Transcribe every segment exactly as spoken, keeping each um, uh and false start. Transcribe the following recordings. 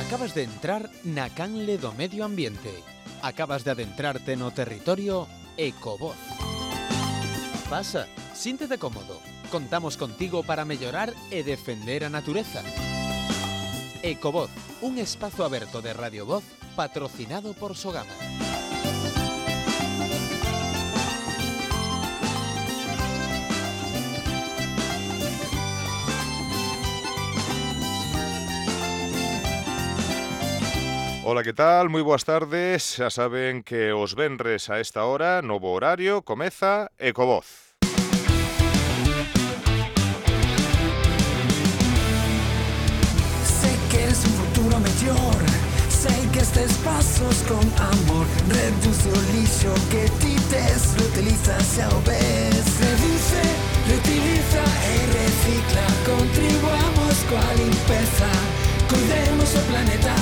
Acabas de entrar na canle do medio ambiente. Acabas de adentrarte no territorio Ecovoz. Pasa, síntete cómodo. Contamos contigo para mellorar e defender a natureza. Ecovoz, un espazo aberto de Radio Voz patrocinado por Sogama. Ola, que tal? Moi boas tardes. Xa saben que os venres a esta hora, novo horario, comeza Ecovoz. Sei que eres un futuro mellor, sei que estes pasos con amor. Reduce o lixo que ti tes, reutiliza xa o ves. Reduce, reutiliza e recicla, contribuamos coa limpeza, cuidemos o planeta.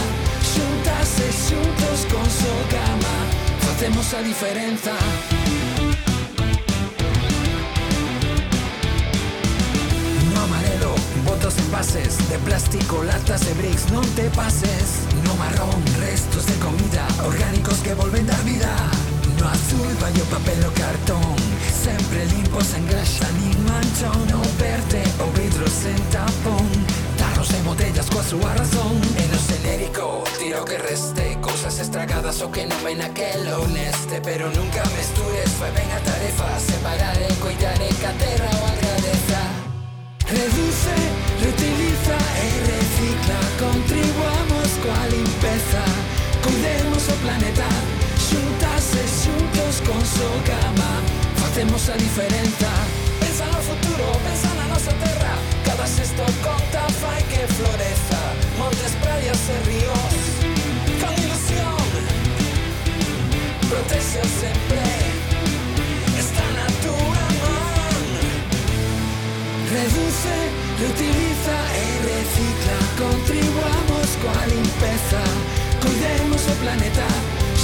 Xuntas e xuntos con Sogama facemos a diferenza. No amarelo, botos envases de plástico, latas e bricks, non te pases. No marrón, restos de comida orgánicos que volven dar vida. No azul vai o papel o cartón, sempre limpo, sen graxa nin manchón. No verde, o vidro sen tapón, tarros e botellas coa súa razón. E no xenérico, tira o que reste, cousas estragadas o que non ven naquel ou neste. Pero nunca mestures, fai ben a tarefa, separar e coidar e que a terra o agradeza. Reduce, reutiliza e recicla, contribuamos coa limpeza, cuidemos o planeta. Xuntas e xuntos con Sogama facemos a diferenza. Pensa no futuro, pensa na nosa terra, cada xesto conta, fai que floreza. Montes, praias e ríos, con ilusión, protexe sempre, está na túa man. Reduce, reutiliza e recicla, contribuamos coa limpeza, cuidemos o planeta.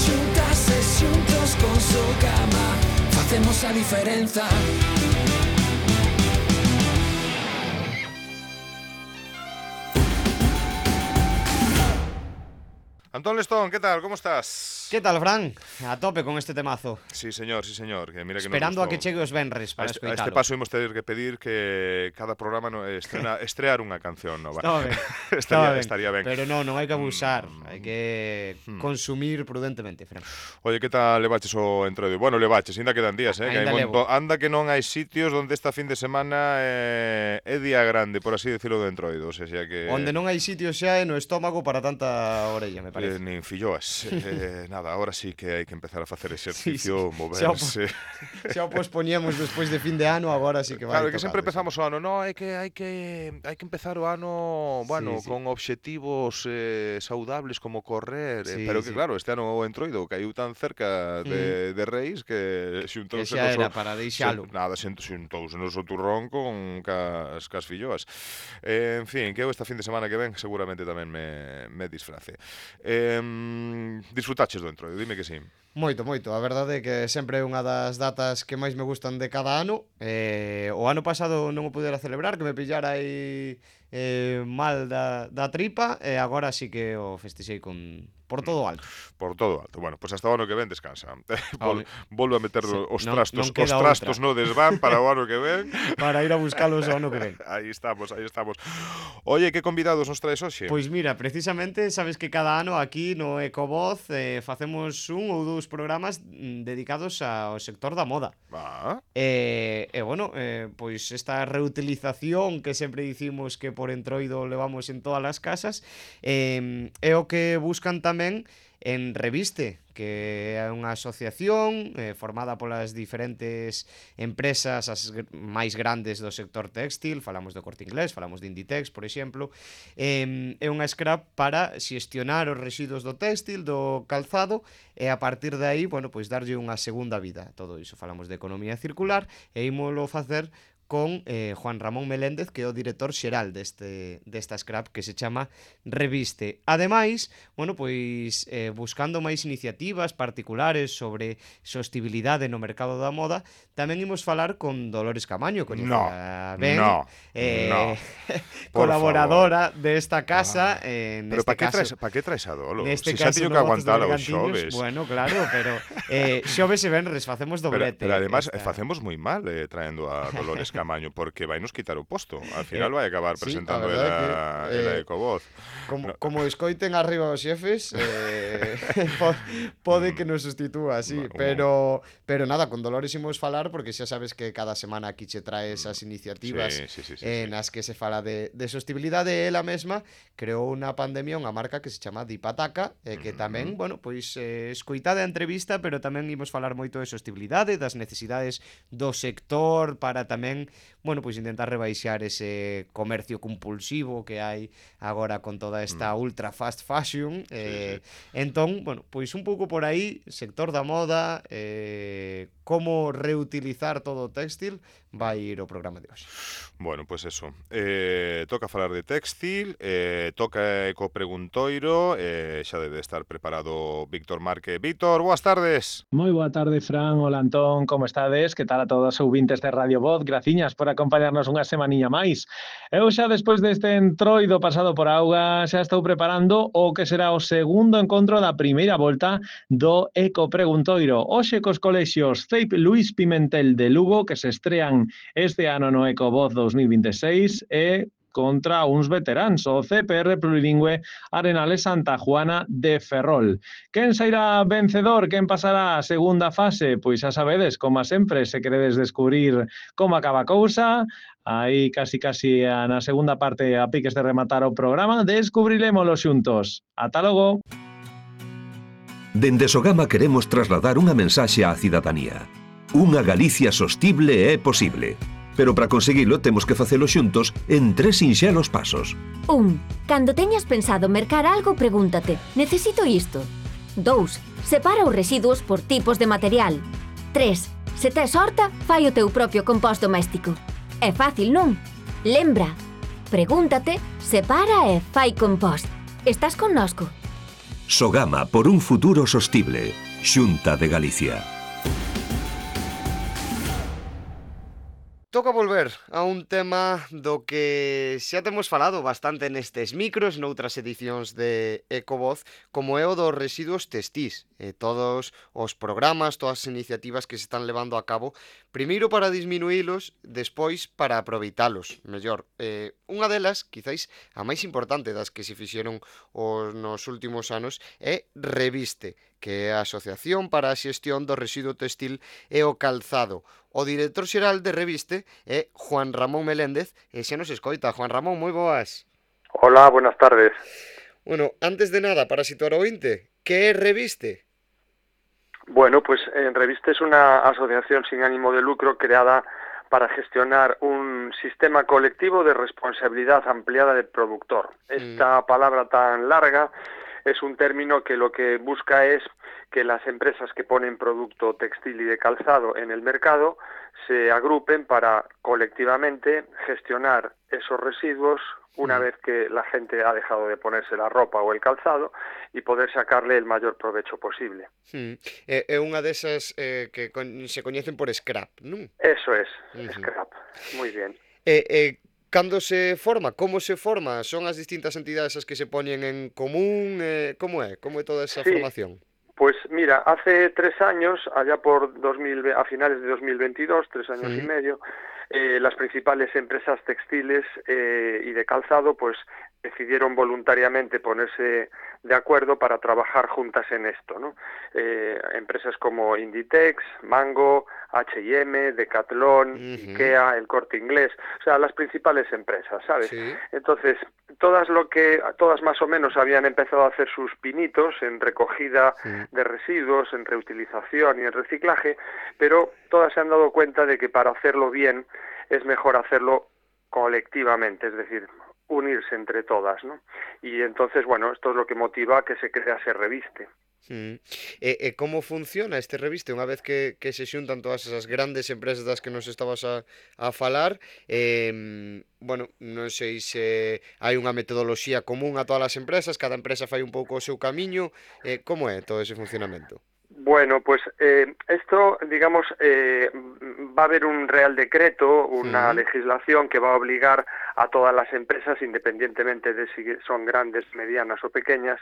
Xuntas e xuntos con Sogama facemos a diferenza. Antón Lestón, que tal? Como estás? Que tal, Fran? A tope con este temazo. Sí, señor, sí, señor. Que mira que Esperando nos a que chegue os venres para a este, a escoitalo. este paso imos ter que pedir que cada programa no, estrena, estrear unha canción nova. Estaba ben. estaría, Estaba ben. estaría ben. Pero non, non hai que abusar. Mm. Hai que Mm. consumir prudentemente, Fran. Oye, que tal levaches o entroido? Bueno, levaches, ainda quedan días, eh? Que hai Ainda monto... levo. Anda que non hai sitios onde esta fin de semana eh, é día grande, por así decirlo, do entroido. O sea, que... Onde non hai sitio xa é no estómago para tanta orella, me Eh, parece. nin filloas. eh, nada, ahora sí que hai que empezar a facer exercicio, Sí, sí. moverse. Xa o pospoñemos despois de fin de ano, agora sí que vai. Claro, que sempre tocado, empezamos o ano, no, hai que hai que hai que empezar o ano, bueno, Sí, sí. con obxectivos eh, saudables como correr, eh, Sí, pero que sí. claro, este ano o entroido caiu tan cerca de, de Reis que Que xuntouse xa nos era o- para deixalo. xun- Nada, xun- xuntouse nos o turrón con cas, cas filloas. Eh, en fin, que eu esta fin de semana que ven seguramente tamén me, me disfrace. Eh, disfrutaches do entroido, dime que sí. Moito, moito. A verdade é que sempre é unha das datas que máis me gustan de cada ano. Eh, o ano pasado non o pudera celebrar, que me pillara aí eh, mal da, da tripa, e agora sí que o festexei con por todo o alto. Por todo alto. Bueno, pois pues hasta o ano que ven descansa. Vol, Home. volvo a meter Sí, os non- trastos, non os queda trastos outra. no desván para o ano que ven. Para ir a buscalos o ano que ven. Aí estamos, aí estamos. Oye, que convidados nos traes hoxe? Pois mira, precisamente sabes que cada ano aquí no Ecovoz eh, facemos un ou dous programas mm, dedicados ao sector da moda. Ah, E, e bueno, eh, pois esta reutilización que sempre dicimos que por entroido levamos en todas as casas eh, é o que buscan tamén en Reviste, que é unha asociación eh, formada polas diferentes empresas as gr- máis grandes do sector textil. Falamos do Corte Inglés, falamos de Inditex, por exemplo. Eh, é unha scrap para xestionar os residuos do textil, do calzado, e a partir de aí, bueno, pois darlle unha segunda vida a todo iso. Falamos de economía circular e ímolo facer con eh, Juan Ramón Meléndez, que é o director xeral deste, desta Scrap, que se chama Reviste. Ademais, bueno, pois eh, buscando máis iniciativas particulares sobre sostibilidade no mercado da moda, tamén imos falar con Dolores Camaño, coñecida no, ben, no, eh, no. colaboradora desta casa. Ah, eh, pero neste para que caso, traes, pa que traes a Dolo? neste Si xa caso teño no que Gozos de aguantar os Bergantiños, xoves. bueno, claro, pero eh, xoves e venres facemos Pero, doblete. pero además esta... facemos moi mal eh, traendo a Dolores Camaño, porque vai nos quitar o posto. Al final Eh, vai acabar sí, presentando a ela, verdade que, ela eh, Ecovoz. Como, No. como escoiten arriba os xefes, eh, po, pode que nos sustitúa, sí, Un- pero pero nada, con Dolores imos falar porque xa sabes que cada semana aquí che trae esas iniciativas Sí, sí, sí, sí, eh, sí. nas que se fala de, de sostibilidade. Ela mesma creou unha pandemia, unha marca que se chama Dipataca, eh, que tamén, bueno, pois eh, escoitada a entrevista, pero tamén imos falar moito de sostibilidade, das necesidades do sector para tamén, bueno, pois intentar rebaixar ese comercio compulsivo que hai agora con toda esta ultra fast fashion. Eh, sí. Entón, bueno, pois un pouco por aí, sector da moda, eh, como reutilizar todo o téxtil, vai ir o programa de hoxe. Bueno, pois pues eso. Eh, toca falar de textil, eh, toca eco preguntoiro, eh, xa debe estar preparado Víctor Marque. Víctor, boas tardes. Moi boa tarde, Fran. Hola, Antón, como estades? Que tal a todos os ouvintes de Radio Voz? Graciñas por acompañarnos unha semaniña máis. Eu xa despois deste entroido pasado por auga xa estou preparando o que será o segundo encontro da primeira volta do Eco Preguntoiro. Hoxe cos colexios C E I P Luís Pimentel de Lugo, que se estrean este ano no Eco Voz dos mil vinte e seis, e contra uns veteráns, o C P R Plurilingüe Arenales Santa Juana de Ferrol. Quen sairá vencedor? Quen pasará a segunda fase? Pois xa sabedes, como sempre, se queredes descubrir como acaba a cousa, aí casi casi na segunda parte a piques de rematar o programa, descubrirémolo xuntos. Ata logo! Dende Sogama queremos trasladar unha mensaxe á cidadanía. Unha Galicia sostible é posible. Pero para conseguilo temos que facelo xuntos en tres sinxelos pasos. Un. Cando teñas pensado mercar algo, pregúntate: necesito isto? Dous. Separa os residuos por tipos de material. Tres. Se tes horta, fai o teu propio compost doméstico. É fácil, non? Lembra. Pregúntate, separa e fai compost. Estás connosco? Sogama por un futuro sostible. Xunta de Galicia. Toca volver a un tema do que xa temos falado bastante nestes micros, noutras edicións de Ecovoz, como é o dos residuos textís. E todos os programas, todas as iniciativas que se están levando a cabo, primeiro para disminuílos, despois para aproveitalos mellor. Eh, unha delas, quizáis a máis importante das que se fixeron os, nos últimos anos, é Reviste, que é a Asociación para a Xestión do Residuo Textil e o Calzado. O director xeral de Reviste é Juan Ramón Meléndez, e xa nos escoita. Juan Ramón, moi boas. Hola, buenas tardes. Bueno, antes de nada, para situar o ointe, que é Reviste? Bueno, pues en Reviste es una asociación sin ánimo de lucro creada para gestionar un sistema colectivo de responsabilidad ampliada del productor. Esta mm. palabra tan larga es un término que lo que busca es que las empresas que ponen producto textil y de calzado en el mercado se agrupen para colectivamente gestionar esos residuos una vez que la gente ha dejado de ponerse la ropa o el calzado y poder sacarle el mayor provecho posible. Hmm. É, é unha desas eh, que con, se coñecen por scrap, non? Eso es, uh-huh. Scrap. Muy bien. Eh, eh, cando se forma? Como se forma? Son as distintas entidades as que se poñen en común? Eh, como é? Como é toda esa sí. formación? Pues mira, hace tres años, allá por dos mil, a finales de dos mil veintidós, tres años sí. y medio, eh, las principales empresas textiles eh, y de calzado pues decidieron voluntariamente ponerse de acuerdo para trabajar juntas en esto, ¿no? Eh, empresas como Inditex, Mango, H y M, Decathlon, uh-huh. Ikea, El Corte Inglés, o sea, las principales empresas, ¿sabes? Sí. Entonces, todas lo que, todas más o menos habían empezado a hacer sus pinitos en recogida sí. de residuos, en reutilización y en reciclaje, pero todas se han dado cuenta de que para hacerlo bien es mejor hacerlo colectivamente, es decir, unirse entre todas, ¿no? Y entonces, bueno, esto es lo que motiva a que se crea ese Reviste. Mm. E, e como funciona este reviste unha vez que, que se xuntan todas esas grandes empresas das que nos estabas a, a falar? Eh, bueno, non sei se hai unha metodoloxía común a todas as empresas, cada empresa fai un pouco o seu camiño, eh, como é todo ese funcionamento? Bueno, pues eh, esto, digamos, eh, va a haber un Real Decreto, una Mm. legislación que va a obligar a todas las empresas, independientemente de si son grandes, medianas o pequeñas,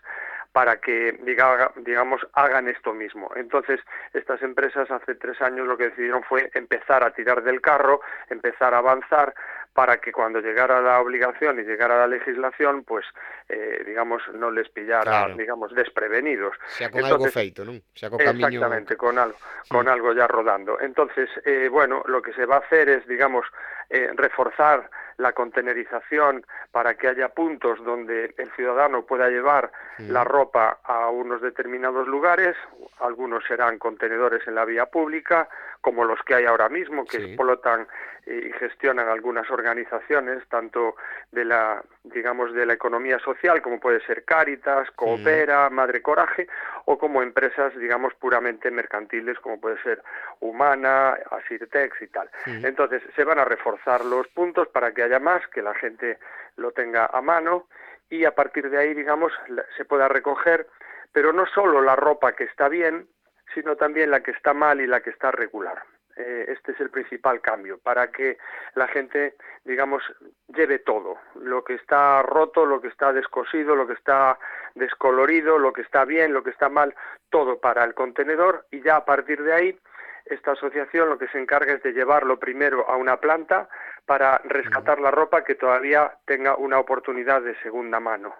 para que, diga, digamos, hagan esto mismo. Entonces, estas empresas hace tres años lo que decidieron fue empezar a tirar del carro, empezar a avanzar, para que cuando llegara la obligación y llegara la legislación, pues, eh, digamos, no les pillara, Claro. digamos, desprevenidos. Xa con algo Entonces, feito, non? Xa co camiño... exactamente, con algo, con Mm. algo ya rodando. Entonces, eh, bueno, lo que se va a hacer es, digamos, eh, reforzar la contenerización para que haya puntos donde el ciudadano pueda llevar Mm. la ropa a unos determinados lugares. Algunos serán contenedores en la vía pública, como los que hay ahora mismo, que Sí. explotan y gestionan algunas organizaciones, tanto de la, digamos, de la economía social, como puede ser Cáritas, Coopera, Madre Coraje, o como empresas, digamos, puramente mercantiles, como puede ser Humana, Asirtex y tal. Mm. Entonces, se van a reforzar los puntos para que haya más, que la gente lo tenga a mano, y a partir de ahí, digamos, la- se pueda recoger, pero no solo la ropa que está bien, sino también la que está mal y la que está regular. Eh, este es el principal cambio, para que la gente, digamos, lleve todo, lo que está roto, lo que está descosido, lo que está descolorido, lo que está bien, lo que está mal, todo para el contenedor, y ya a partir de ahí esta asociación lo que se encarga es de llevarlo primero a una planta para rescatar la ropa que todavía tenga una oportunidad de segunda mano,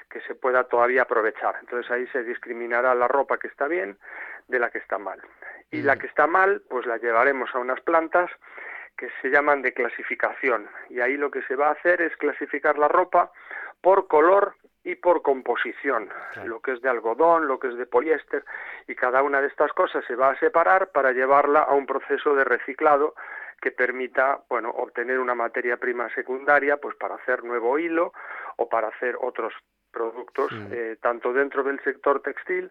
que se pueda todavía aprovechar. Entonces ahí se discriminará la ropa que está bien de la que está mal. Y la que está mal, pues la llevaremos a unas plantas que se llaman de clasificación. Y ahí lo que se va a hacer es clasificar la ropa por color y por composición, Claro. lo que es de algodón, lo que es de poliéster, y cada una de estas cosas se va a separar para llevarla a un proceso de reciclado que permita, bueno, obtener una materia prima secundaria, pues para hacer nuevo hilo o para hacer otros productos, Mm. eh, tanto dentro del sector textil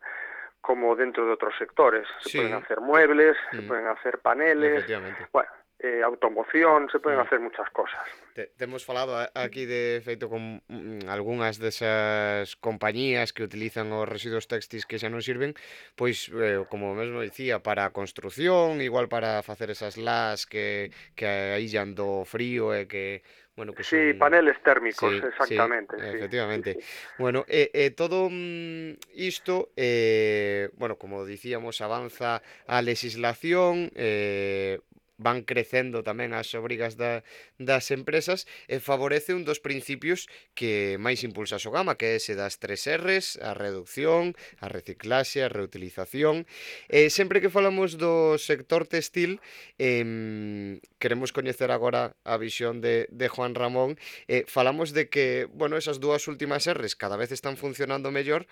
como dentro de otros sectores. Se Sí. pueden hacer muebles, se Mm. pueden hacer paneles, Efectivamente. bueno, eh, automoción, se pueden Mm. hacer muchas cosas. Te, temos falado a- aquí de feito con mm, algunhas desas compañías que utilizan os residuos textis que xa non sirven, pois, eh, como mesmo dicía, para a construción, igual para facer esas las que, que aíllan do frío e que, bueno, que Sí, son... paneles térmicos, Sí, exactamente. sí, sí, efectivamente. sí, sí. Bueno, e, e todo mm, isto, eh, bueno, como dicíamos, avanza a legislación, eh, van crecendo tamén as obrigas da, das empresas e favorece un dos principios que máis impulsa a Sogama, que é ese das tres R's, a reducción, a reciclaxe, a reutilización. E sempre que falamos do sector textil, eh, queremos coñecer agora a visión de, de Juan Ramón. Eh, falamos de que, bueno, esas dúas últimas R's cada vez están funcionando mellor,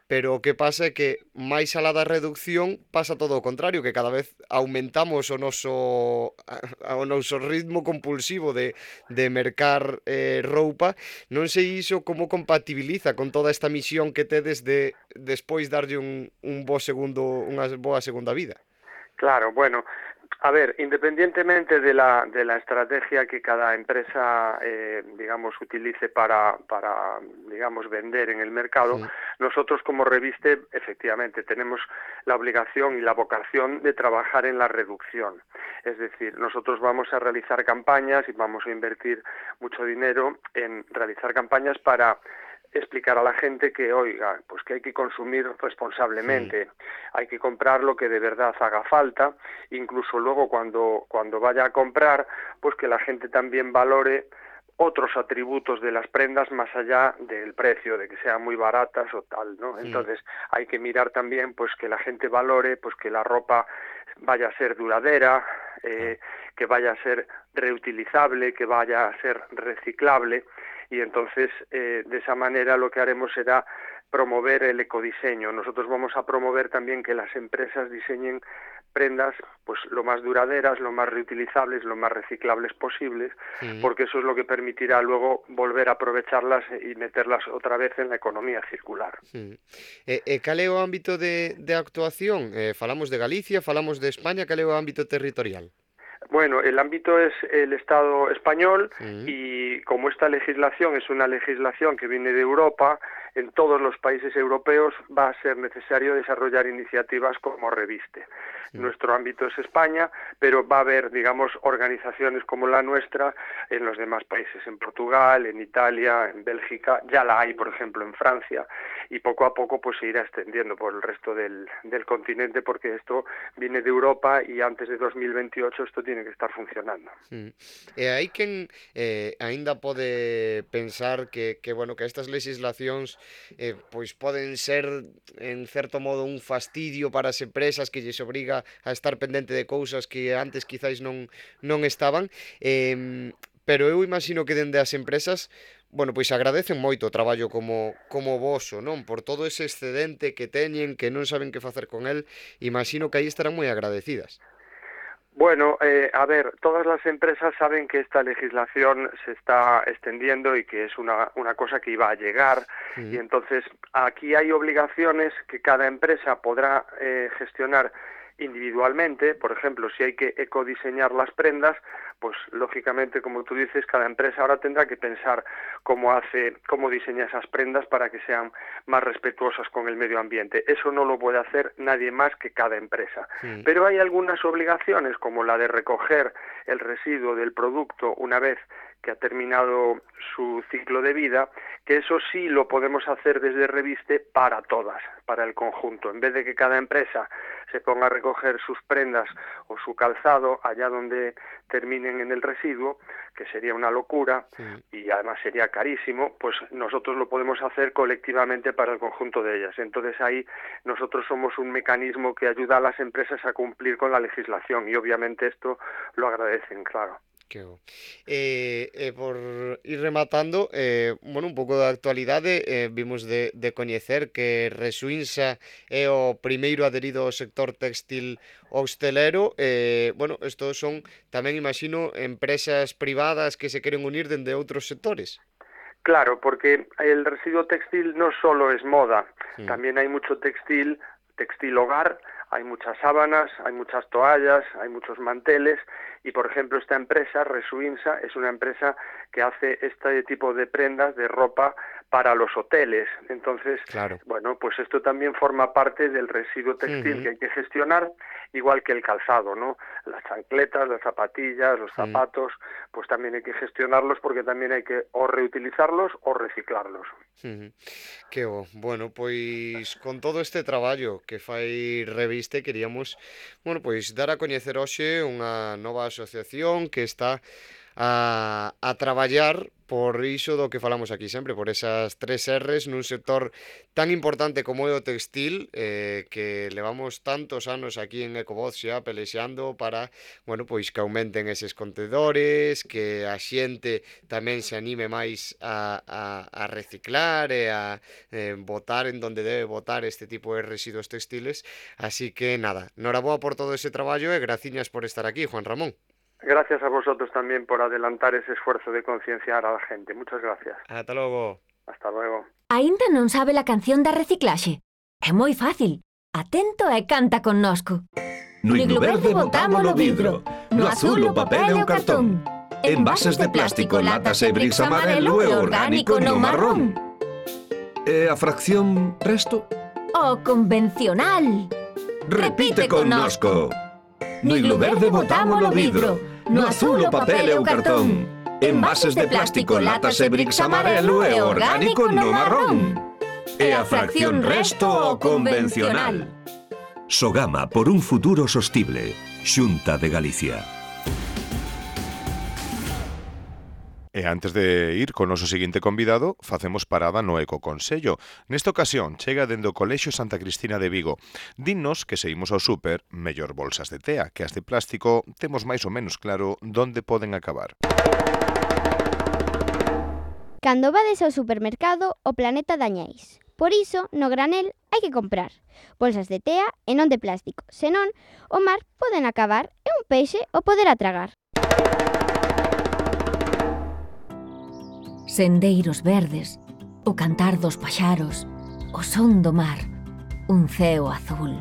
pero o que pasa é que máis alá da reducción pasa todo o contrario, que cada vez aumentamos o noso a- o noso ritmo compulsivo de, de mercar eh, roupa. Non sei iso como compatibiliza con toda esta misión que tedes de despois darlle un, un bo segundo, unha boa segunda vida. Claro, bueno, a ver, independientemente de la, de la estrategia que cada empresa, eh, digamos, utilice para, para, digamos, vender en el mercado, Sí. nosotros como Reviste, efectivamente, tenemos la obligación y la vocación de trabajar en la reducción. Es decir, nosotros vamos a realizar campañas y vamos a invertir mucho dinero en realizar campañas para explicar a la gente que, oiga, pues que hay que consumir responsablemente, sí. Hay que comprar lo que de verdad haga falta, incluso luego cuando, cuando vaya a comprar, pues que la gente también valore otros atributos de las prendas más allá del precio, de que sean muy baratas o tal, ¿no? Entonces, sí. Hay que mirar también, pues que la gente valore, pues que la ropa vaya a ser duradera, eh, que vaya a ser reutilizable, que vaya a ser reciclable, y entonces eh, de esa manera lo que haremos será promover el ecodiseño. Nosotros vamos a promover también que las empresas diseñen prendas pues lo más duraderas, lo más reutilizables, lo más reciclables posibles, sí. porque eso es lo que permitirá luego volver a aprovecharlas y meterlas otra vez en la economía circular. Sí. E, e cal é o ámbito de, de actuación? Eh, falamos de Galicia, falamos de España, cal é o ámbito territorial? Bueno, el ámbito es el Estado español sí. y como esta legislación es una legislación que viene de Europa, en todos los países europeos va a ser necesario desarrollar iniciativas como Reviste. Sí. Nuestro ámbito es España, pero va a haber, digamos, organizaciones como la nuestra en los demás países, en Portugal, en Italia, en Bélgica, ya la hay, por ejemplo, en Francia, y poco a poco pues se irá extendiendo por el resto del, del continente, porque esto viene de Europa y antes de dos mil veintiocho esto tiene que estar funcionando. Sí. E hai quen eh, aínda pode pensar que, que, bueno, que estas legislacións eh, pois poden ser en certo modo un fastidio para as empresas que lles obriga a estar pendente de cousas que antes quizáis non, non estaban, eh, pero eu imagino que dende as empresas, bueno, pois agradecen moito o traballo como, como voso, non? Por todo ese excedente que teñen, que non saben que facer con el, imagino que aí estarán moi agradecidas. Bueno, eh, a ver, todas las empresas saben que esta legislación se está extendiendo y que es una, una cosa que iba a llegar, sí. y entonces aquí hay obligaciones que cada empresa podrá eh, gestionar individualmente. Por ejemplo, si hay que ecodiseñar las prendas, pues lógicamente, como tú dices, cada empresa ahora tendrá que pensar cómo hace, cómo diseña esas prendas para que sean más respetuosas con el medio ambiente. Eso no lo puede hacer nadie más que cada empresa. Sí. Pero hay algunas obligaciones, como la de recoger el residuo del producto una vez que ha terminado su ciclo de vida, que eso sí lo podemos hacer desde Reviste para todas, para el conjunto. En vez de que cada empresa se ponga a recoger sus prendas o su calzado allá donde terminen en el residuo, que sería una locura, sí. y además sería carísimo, pues nosotros lo podemos hacer colectivamente para el conjunto de ellas. Entonces ahí nosotros somos un mecanismo que ayuda a las empresas a cumplir con la legislación y obviamente esto lo agradecen, claro. Que bo. Eh, eh, por ir rematando, eh, bueno, un pouco da actualidade, eh, vimos de, de coñecer que Resuinsa é o primeiro adherido ao sector textil hostelero. Eh, bueno, estos son tamén, imagino, empresas privadas que se queren unir dende outros sectores. Claro, porque el residuo textil no solo es moda, sí. también hay mucho textil, textil hogar, hay muchas sábanas, hay muchas toallas, hay muchos manteles y, por ejemplo, esta empresa, Resuinsa, es una empresa que hace este tipo de prendas, de ropa, para los hoteles. Entonces, claro. bueno, pues esto también forma parte del residuo textil uh-huh. que hay que gestionar, igual que el calzado, ¿no? Las chancletas, las zapatillas, los zapatos, uh-huh. pues también hay que gestionarlos porque también hay que o reutilizarlos o reciclarlos. Uh-huh. Que bo. Bueno, pois con todo este traballo que fai Reviste, queríamos, bueno, pois dar a coñecer hoxe unha nova asociación que está a, a traballar por iso do que falamos aquí sempre, por esas tres erres nun sector tan importante como é o textil, eh, que levamos tantos anos aquí en Ecovoz xa pelexando para, bueno, pois que aumenten eses contedores, que a xente tamén se anime máis a, a, a reciclar e a eh, botar en donde debe botar este tipo de residuos textiles. Así que nada, noraboa por todo ese traballo e graciñas por estar aquí, Juan Ramón. Gracias a vosotros también por adelantar ese esfuerzo de concienciar a la gente. Muchas gracias. Hasta logo. Hasta luego. Aínda non sabe la canción da reciclaxe? É moi fácil. Atento e canta connosco. No iglo verde botámolo vidro, no azul o papel e o cartón. Envases de plástico, latas e bricks amarelo e orgánico no marrón. E a fracción resto? O convencional. Repite connosco. No iglo verde botámolo vidro, no azul o papel e o cartón. Envases de plástico, latas e bricks amarelo e orgánico no marrón. E a fracción resto o convencional. Sogama por un futuro sostible. Xunta de Galicia. E antes de ir con o noso seguinte convidado, facemos parada no Ecoconsello. Nesta ocasión, chega dende o Colexio Santa Cristina de Vigo. Dinnos que se imos ao súper, mellor bolsas de tea, que as de plástico temos máis ou menos claro onde poden acabar. Cando vades ao supermercado, o planeta dañáis. Por iso, no granel hai que comprar bolsas de tea e non de plástico, senón o mar poden acabar e un peixe o poderá tragar. Sendeiros verdes, o cantar dos paxaros, o son do mar, un ceo azul,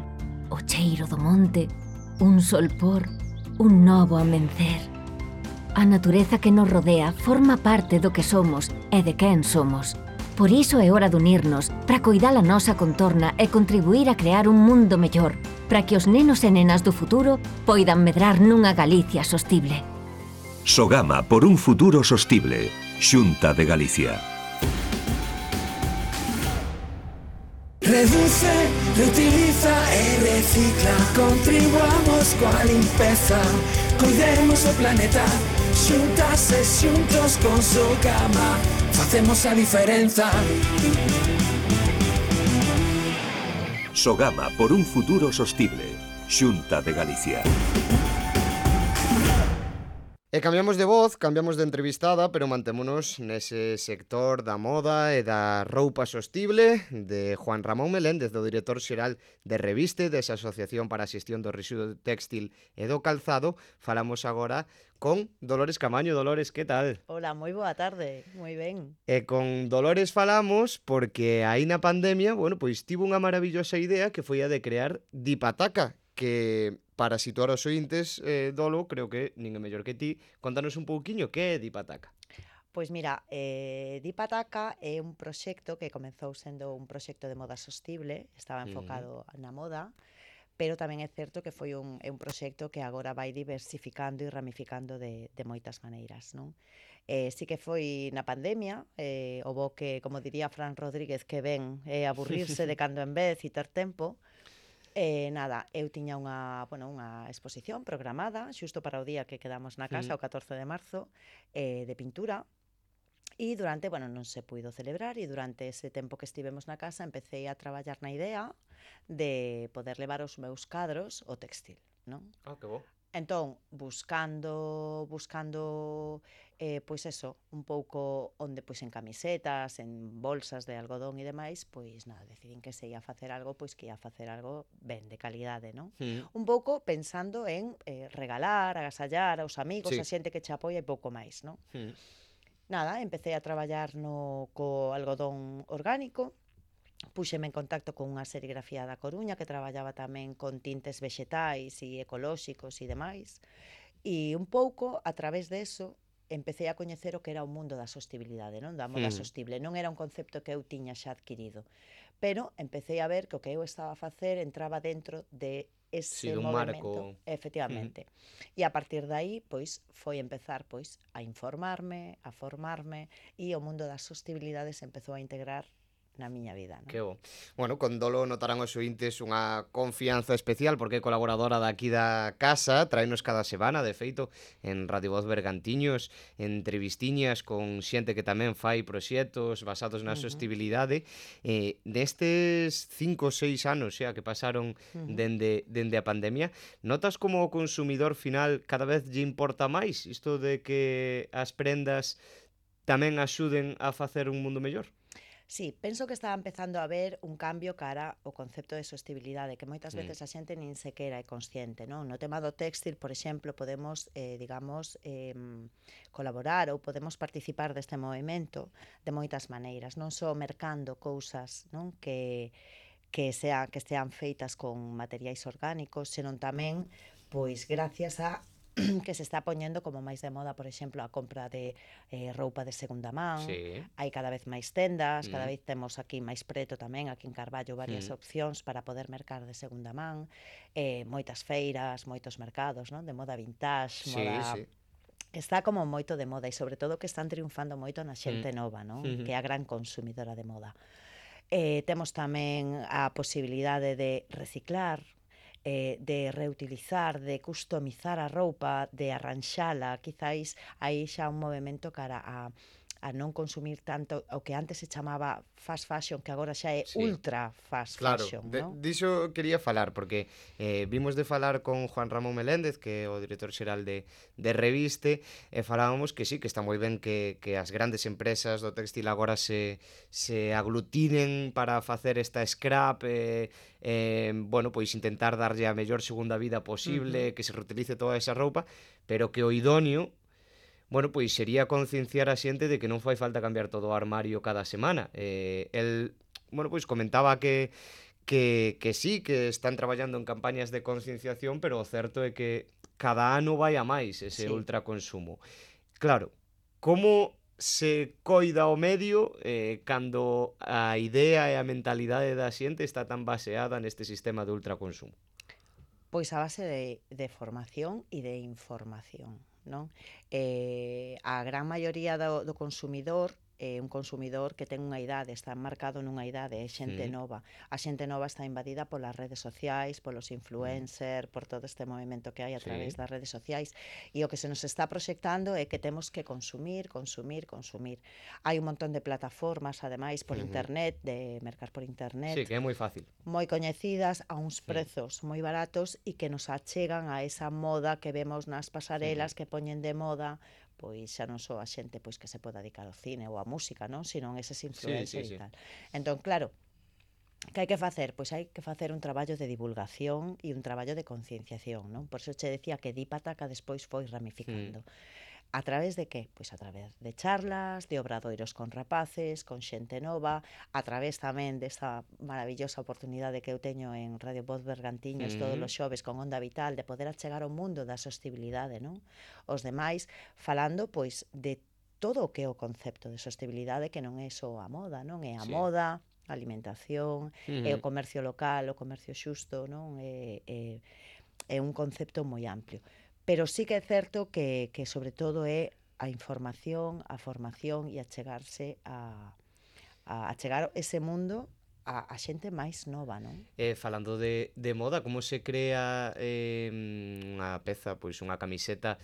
o cheiro do monte, un solpor, un novo amencer. A natureza que nos rodea forma parte do que somos e de quen somos. Por iso é hora de unirnos para coidar a nosa contorna e contribuir a crear un mundo mellor, para que os nenos e nenas do futuro poidan medrar nunha Galicia sostible. Sogama por un futuro sostible. Xunta de Galicia. Reduce, reutiliza e recicla. Contribuamos coa limpeza. Cuidemos o planeta. Xuntas e xuntos con Sogama facemos a diferenza. Sogama por un futuro sostible. Xunta de Galicia. E cambiamos de voz, cambiamos de entrevistada, pero mantémonos nese sector da moda e da roupa sostible de Juan Ramón Meléndez, do director xeral de Reviste, desa Asociación para a Xestión do Residuo Téxtil e do Calzado. Falamos agora con Dolores Camaño. Dolores, que tal? Hola, moi boa tarde, moi ben. E con Dolores falamos porque aí na pandemia, bueno, pois tivo unha maravillosa idea que foi a de crear Dipataca, que para situar os ointes, eh, Dolo, creo que ninguén mellor que ti, contanos un pouquiño que é Dipataca. Pois mira, eh, Dipataca é un proxecto que comezou sendo un proxecto de moda sostible, estaba enfocado uh-huh. na moda, pero tamén é certo que foi un, é un proxecto que agora vai diversificando e ramificando de, de moitas maneiras, non? Eh, sí que foi na pandemia, eh, o bo que, como diría Fran Rodríguez, que ven é aburrirse de cando en vez e ter tempo. Eh, nada, eu tiña unha, bueno, unha exposición programada xusto para o día que quedamos na casa, mm. o catorce de marzo, eh, de pintura, e durante, bueno, non se puido celebrar, e durante ese tempo que estivemos na casa empecé a traballar na idea de poder levar os meus cadros ao textil, non? Ah, que bo. Entón, buscando, buscando, eh, pois eso, un pouco onde, pois en camisetas, en bolsas de algodón e demais, pois nada, decidín que se ia facer algo, pois que ia facer algo ben, de calidade, non? Mm. Un pouco pensando en eh, regalar, agasallar aos amigos, sí. a xente que che apoia e pouco máis, non? Mm. Nada, empecé a traballar no co algodón orgánico, puxeme en contacto con unha serigrafía da Coruña que traballaba tamén con tintes vexetais e ecolóxicos e demais, e un pouco a través de eso empecé a coñecer o que era o mundo da sostibilidade, non? Da moda mm. sostible. Non era un concepto que eu tiña xa adquirido, pero empecé a ver que o que eu estaba a facer entraba dentro de ese sí, movimento, marco. Efectivamente. Mm. E a partir de aí, pois, foi empezar pois a informarme, a formarme, e o mundo das sostibilidades empezou a integrar na miña vida, non? Que bo. Bueno, con Dolo notarán os ointes unha confianza especial porque é colaboradora daqui da casa, traenos cada semana, de feito, en Radio Voz Bergantiños, entrevistiñas con xente que tamén fai proxectos basados na uh-huh. sostibilidade. Eh, destes cinco ou seis anos xa que pasaron uh-huh. dende, dende a pandemia, notas como o consumidor final cada vez lle importa máis isto de que as prendas tamén axuden a facer un mundo mellor? Sí, penso que está empezando a haber un cambio cara ao concepto de sostibilidade, que moitas veces a xente nin sequera é consciente, non? No tema do téxtil, por exemplo, podemos, eh, digamos, eh, colaborar ou podemos participar deste movimento de moitas maneiras, non só mercando cousas, non? Que, que, sea, que estean feitas con materiais orgánicos, senón tamén, pois, gracias a que se está poñendo como máis de moda, por exemplo, a compra de eh, roupa de segunda man. Sí. Hai cada vez máis tendas, mm. cada vez temos aquí máis preto tamén, aquí en Carballo, varias mm. opcións para poder mercar de segunda man, eh, moitas feiras, moitos mercados, non? De moda vintage, sí, moda... Sí. Está como moito de moda e sobre todo que están triunfando moito na xente mm. nova, non? Mm-hmm. Que é a gran consumidora de moda. Eh, temos tamén a posibilidade de reciclar, Eh, de reutilizar, de customizar a roupa, de arranxala, quizáis aí xa un movimento cara a, a non consumir tanto o que antes se chamaba fast fashion, que agora xa é Sí. ultra fast Claro, fashion, de, non? diso quería falar, porque eh, vimos de falar con Juan Ramón Meléndez, que é o director xeral de, de Reviste, e falábamos que sí, que está moi ben que, que as grandes empresas do textil agora se, se aglutinen para facer esta scrap, e, eh, bueno, pois intentar darlle a mellor segunda vida posible, uh -huh. que se reutilice toda esa roupa, pero que o idóneo, bueno, pois sería concienciar a xente de que non fai falta cambiar todo o armario cada semana. Eh, el, bueno, pois comentaba que, que, que sí, que están traballando en campañas de concienciación, pero o certo é que cada ano vai a máis ese Sí. ultraconsumo. Claro, como se coida o medio eh, cando a idea e a mentalidade da xente está tan baseada neste sistema de ultraconsumo? Pois a base de, de formación e de información, non? Eh, a gran maioría do, do consumidor é un consumidor que ten unha idade, está marcado nunha idade, é xente Sí. nova. A xente nova está invadida polas redes sociais, polos influencers, por todo este movimento que hai a Sí. través das redes sociais, e o que se nos está proxectando é que temos que consumir, consumir, consumir. Hai un montón de plataformas, ademais, por Ujú. internet, de mercar por internet, Sí, que é moi fácil. moi coñecidas a uns Sí. prezos moi baratos e que nos achegan a esa moda que vemos nas pasarelas que poñen de moda, pois xa non só a xente pois que se poda dedicar ao cine ou á música, non, sino eses influencers sí, sí. e tal. Entón, claro, que hai que facer? Pois hai que facer un traballo de divulgación e un traballo de concienciación, non? Por iso che decía que Dípata despois foi ramificando. A través de que? Pois a través de charlas, de obradoiros con rapaces, con xente nova, a través tamén desta maravillosa oportunidade que eu teño en Radio Voz Bergantiños todos Mm. os xoves con Onda Vital, de poder achegar ao mundo da sostibilidade, non? Os demais falando pois de todo o que é o concepto de sostibilidade, que non é só a moda, non? É a Sí. moda, a alimentación, é o Ujú. comercio local, o comercio xusto, non? É, é, é un concepto moi amplio. Pero sí que é certo que, que sobre todo é a información, a formación e a chegarse a, a, a chegar ese mundo a, a xente máis nova, non? Eh, falando de, de moda, como se crea eh, unha peza, pois unha camiseta,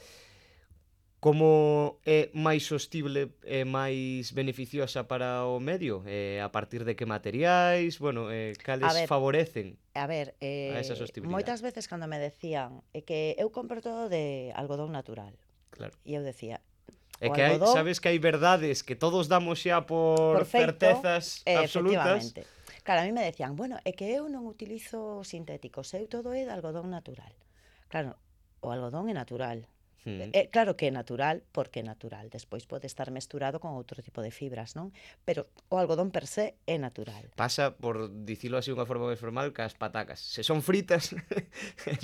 como é máis sostible e máis beneficiosa para o medio? Eh, a partir de que materiais? Bueno, eh, cales A ver, favorecen A ver, eh, a esa sostibilidade? moitas veces cando me decían é que eu compro todo de algodón natural, Claro. e eu decía, É o que hai, algodón, sabes que hai verdades que todos damos xa por, por feito, certezas eh, absolutas. efectivamente. Claro, a mí me decían, bueno, é que eu non utilizo sintéticos, eu todo é de algodón natural. Claro, o algodón é natural. Mm. É claro que é natural, porque é natural. Despois pode estar mesturado con outro tipo de fibras, non? Pero o algodón per se é natural. Pasa, por dicilo así unha forma máis formal, que as patacas. Se son fritas,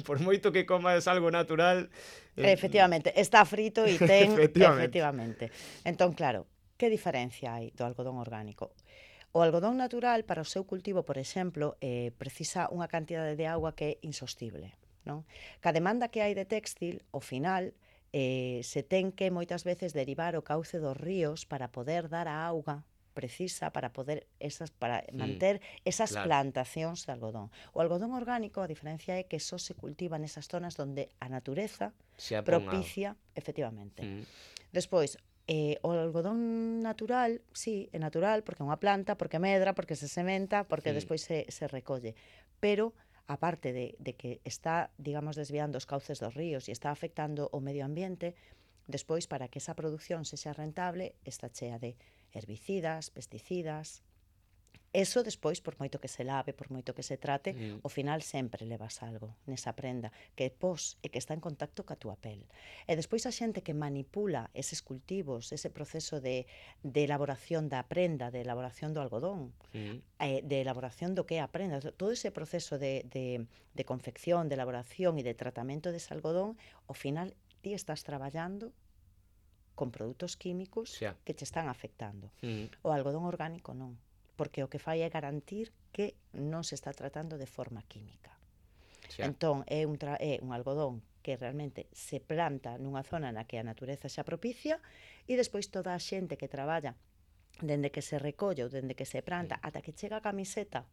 por moito que comas algo natural... eh, Efectivamente, está frito e ten... Efectivamente. efectivamente. Entón, claro, que diferencia hai do algodón orgánico? O algodón natural, para o seu cultivo, por exemplo, eh, precisa unha cantidade de auga que é insostible, non? Ca demanda que hai de textil, ao final, eh, se ten que moitas veces derivar o cauce dos ríos para poder dar a auga precisa para poder esas para manter esas claro. plantacións de algodón. O algodón orgánico, a diferencia é que só se cultiva nesas zonas onde a natureza Se a pon propicia, efectivamente. Mm. Despois, eh, o algodón natural, sí, é natural porque é unha planta, porque medra, porque se sementa, porque Mm. despois se, se recolle. Pero aparte de, de que está, digamos, desviando os cauces dos ríos e está afectando o medio ambiente, despois, para que esa produción sexa rentable, está chea de herbicidas, pesticidas. Eso despois, por moito que se lave, por moito que se trate, Mm. ao final sempre levas algo nesa prenda que pos e que está en contacto ca túa pel. E despois a xente que manipula eses cultivos, ese proceso de, de elaboración da prenda, de elaboración do algodón, Mm. eh, de elaboración do que é a prenda, todo ese proceso de, de, de confección, de elaboración e de tratamento dese algodón, ao final ti estás traballando con produtos químicos Xa. que te están afectando. Mm. O algodón orgánico non, porque o que fai é garantir que non se está tratando de forma química. Xa. Entón, é un, tra é un algodón que realmente se planta nunha zona na que a natureza xa propicia e despois toda a xente que traballa dende que se recolle ou dende que se planta ata que chega a camiseta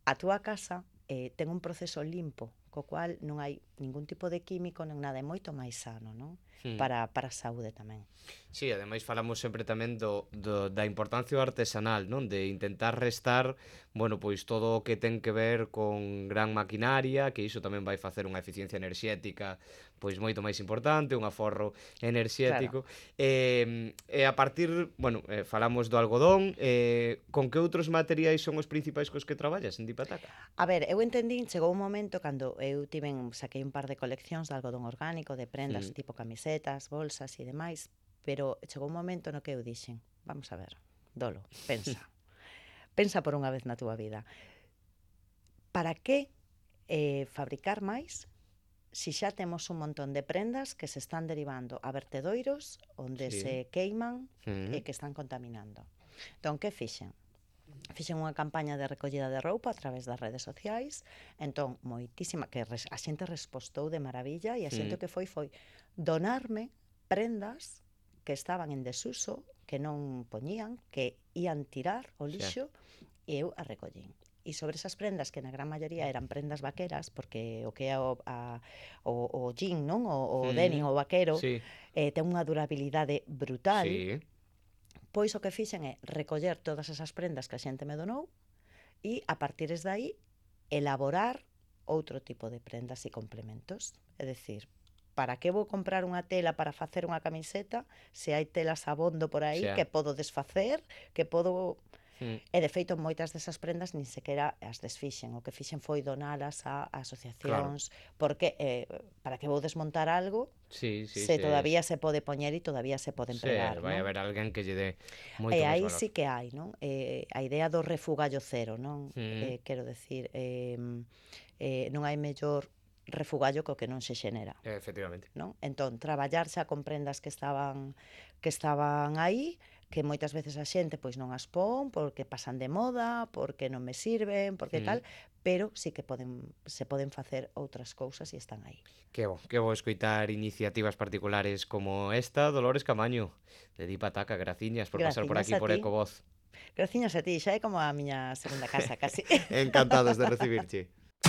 a túa casa, eh, ten un proceso limpo co cual non hai ningún tipo de químico, non nada, é moito máis sano, non? Hmm. Para, para a saúde tamén. Sí, ademais falamos sempre tamén do, do, da importancia do artesanal, non? De intentar restar, bueno, pois todo o que ten que ver con gran maquinaria, que iso tamén vai facer unha eficiencia enerxética pois moito máis importante, un aforro enerxético. Claro. E, e a partir, bueno, eh, falamos do algodón, eh, con que outros materiais son os principais cos que traballas en Dipataca? A ver, eu entendín, chegou un momento cando eu tiven, saquei un par de coleccións de algodón orgánico, de prendas, mm. tipo camisetas, bolsas e demais, pero chegou un momento no que eu dixen, vamos a ver, Dolo, pensa. Pensa por unha vez na túa vida. Para que eh, fabricar máis si xa temos un montón de prendas que se están derivando a vertedoiros onde sí. se queiman mm. e que están contaminando? Entón, que fixen? Fixen unha campaña de recollida de roupa a través das redes sociais, entón, moitísima, que a xente respostou de maravilla e a xente mm. que foi foi donarme prendas que estaban en desuso, que non poñían, que ían tirar o lixo, sí. e eu a recollín. E sobre esas prendas, que na gran maioría eran prendas vaqueras, porque o que é o, a, o, o jean, non? O, o mm. denim, o vaquero, sí. eh, ten unha durabilidade brutal, sí. pois o que fixen é recoller todas esas prendas que a xente me donou e, a partir de aí, elaborar outro tipo de prendas e complementos. É dicir, para que vou comprar unha tela para facer unha camiseta se hai telas abondo por aí sí. que podo desfacer, que podo... Mm. E de feito moitas desas prendas nin sequera as desfixen, o que fixen foi donalas a asociacións, claro. porque eh, para que vou desmontar algo sí, sí, se sí, todavía es... se pode poñer e todavía se pode empregar, sí, vai non? haber alguén que lle dé moito e máis aí valor. Sí que hai, non? Eh, a idea do refugallo cero, non? Mm. Eh, quero decir, eh, eh, non hai mellor refugallo co que non se xenera. Efectivamente. Non? Entón, traballar xa con prendas que estaban que estaban aí, que moitas veces a xente pois non as pon porque pasan de moda, porque non me sirven, porque mm. tal, pero sí que poden se poden facer outras cousas e están aí. Que bo, que bo escoitar iniciativas particulares como esta, Dolores Camaño, de Dipataca. Graciñas por Graciñas pasar por aquí por Ecovoz. Graciñas a ti, xa é como a miña segunda casa, casi. Encantados de recibirche.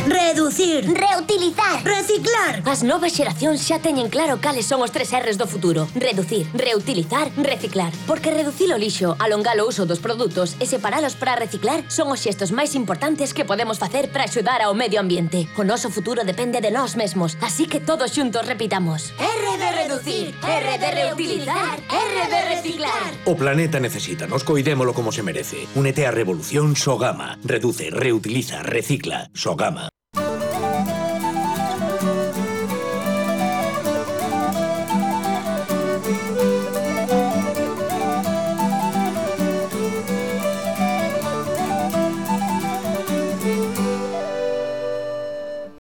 Reducir, reutilizar, reciclar. As novas xeracións xa teñen claro cales son os tres R's do futuro. Reducir, reutilizar, reciclar. Porque reducir o lixo, alongar o uso dos produtos e separalos para reciclar son os xestos máis importantes que podemos facer para axudar ao medio ambiente. O noso futuro depende de nós mesmos, así que todos xuntos repitamos: R de reducir, R de reutilizar, R de reciclar. O planeta necesita, nos coidémolo como se merece. Únete á revolución Sogama. Reduce, reutiliza, recicla. Sogama.